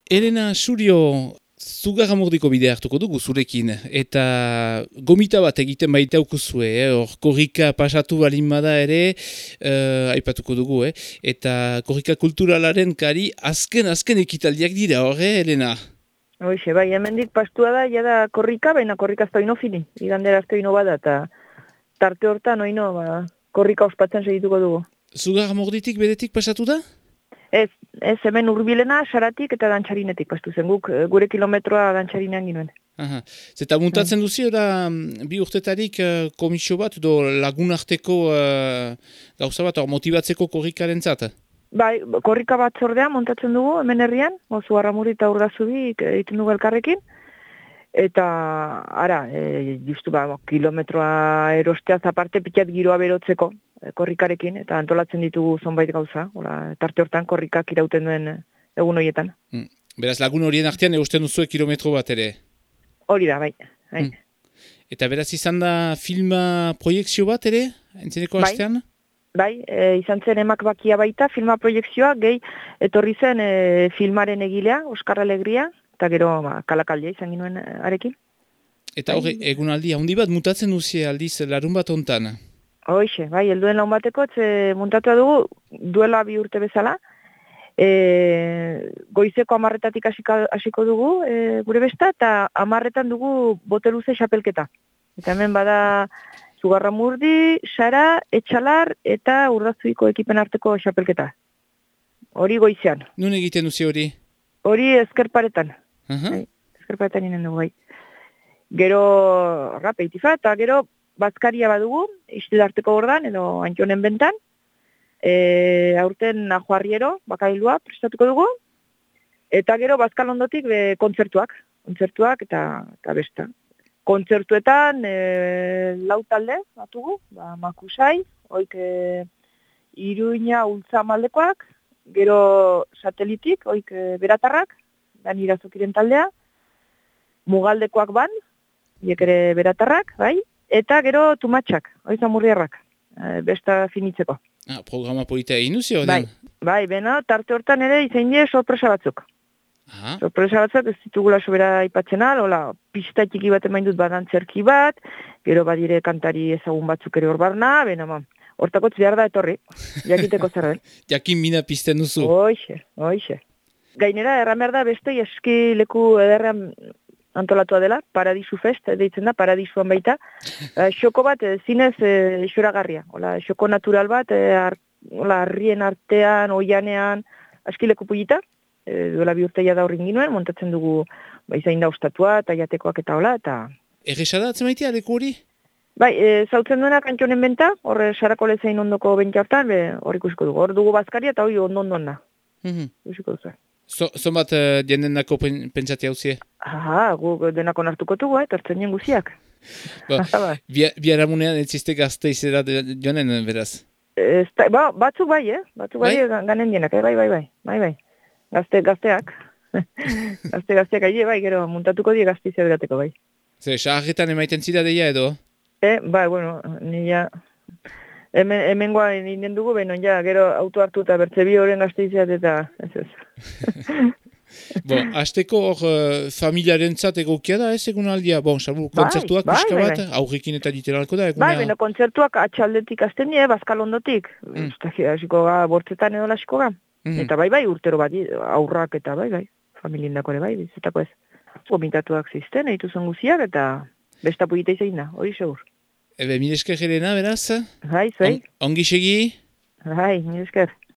Elena Surio, Zugarramurdiko bidea hartuko dugu zurekin, eta gomita bat egiten baita ukuzue, hor korrika pasatu balin bada ere, aipatuko dugu, eta korrika kulturalaren kari azken ekitaldiak dira, Elena? Hoxe, bai, hemendik pastua da, jada korrika, baina korrika ez da ino fini, igandera ez da ino bada, eta tarte hortan oino, korrika ospatzen segituko dugu. Zugarramurditik beretik pasatu da? Ez hemen urbilena, Saratik eta Dantxarinetik pastu zen, gure kilometroa Dantxarinean ginuen. Aha. Zeta muntatzen duzi, bi urtetarik komisio bat, edo lagunarteko gauza bat, motibatzeko korrikaren zata? Bai, korrika bat zordea montatzen dugu, hemen herrian, Zugarramurdi eta Urdazubi egiten dugu elkarrekin, eta, ara, justu kilometroa erosteaz aparte pitzat giroa berotzeko, korrikarekin, eta antolatzen ditugu zonbait gauza, tarte hortan korrikak irauten duen egun horietan. Beraz, lagun horien artean eusten duzue kilometro bat ere? Hori da, bai. Eta beraz izan da filma proiektzio bat ere, entzeneko hastean? Bai, izan zen emak bakia baita, filma proiektzioa, gehi etorri zen filmaren egilea, Oskar Alegria, eta gero kalakaldia izan ginuen arekin. Eta hori, egunaldi, handi bat mutatzen duzie aldiz larun bat ontan? Hoxe, bai, helduen laun bateko, muntatua dugu, duela 2 urte bezala, goizeko 10:00-tatik hasiko dugu, gure besta, eta 10:00-etan dugu boteluze xapelketa. Eta hemen bada Zugarramurdi, Sara, Etxalar eta Urdazuiko ekipen arteko xapelketa. Hori goizean. Nun egiten duzi hori? Hori ezkerparetan. Ezkerparetan inen dugu, bai. Gero, peitifa, eta gero, bazkaria badugu, istilarteko gordan, edo Antxonen bentan, aurten Najoarriero, bakailua, prestatuko dugu, eta gero bazkalondotik kontzertuak eta besta. Kontzertuetan, 4 talde, batugu, Makusai, oik Iruña Ultzamaldekoak, gero Satelitik, oik Beratarrak, Dan Irazokiren taldea, Mugaldekoak ban, hiek ere Beratarrak, bai, eta gero Tumatxak, oizan Murriarrak, besta finitzeko. Programa polita egin duzio? Bai, bena, tarte hortan ere izain die sorpresa batzuk. Sorpresa batzuk ez ditugula sobera aipatzen hola, pista txiki bat emain dut badantzerki bat, gero badire kantari ezagun batzuk ere hor barna, bena, hortakotz behar da etorri, jakiteko zer den. Jakin mina pizten duzu. Hoxe. Gainera, erran behar da beste eski leku ederrean antolatua dela, Paradisu Fest, deitzen da, Paradisuan baita. Xoko bat, zinez xoragarria. Xoko natural bat, harrien artean, oianean, askileku pulita. Duela 2 urteia da horrin ginuen, montatzen dugu izain da ostatua, eta jatekoak eta hola, eta... Errexada atzemaitea, leku hori? Bai, zautzen duenak Antxonen benta, horre sarako lezain ondoko bentia hortan, hor ikusiko dugu. Hor dugu bazkaria eta hori ondo-ondoan da. Ikusiko duzu. Zonbat jenden dako pentsati hauzie? Guk denako nartuko dugu, tartzen nien guziak. Biaramunean ez ziste gazte izera joanen, beraz? Batzuk bai, ganen dienak, bai. Gazteak. Gazteak aile, bai, gero muntatuko die gazte izera gateko, bai. Saharretan emaiten zira deia edo? Bai, bueno, nila... Hemen goa ninen dugu, gero auto hartu eta bertze bi horren gazteizeat eta ez. Azteko hor familiaren zat egokia da ez egun aldia? Salbu kontzertuak pixka bat, aurrekin eta literalko da egunea? Bai, kontzertuak atxaldetik azten die, bazkalondotik. Hasiko ga, bortzetan edo lasiko ga. Eta bai, urtero bat, aurrak eta bai, familiendako ere bai, bizetako ez. Gomitatuak zizten, eitu zen guziak eta besta pugita izain da, hori segur. Mil esker Helena, beraz? Bai, zuei. Ongi segi? Bai, mil esker.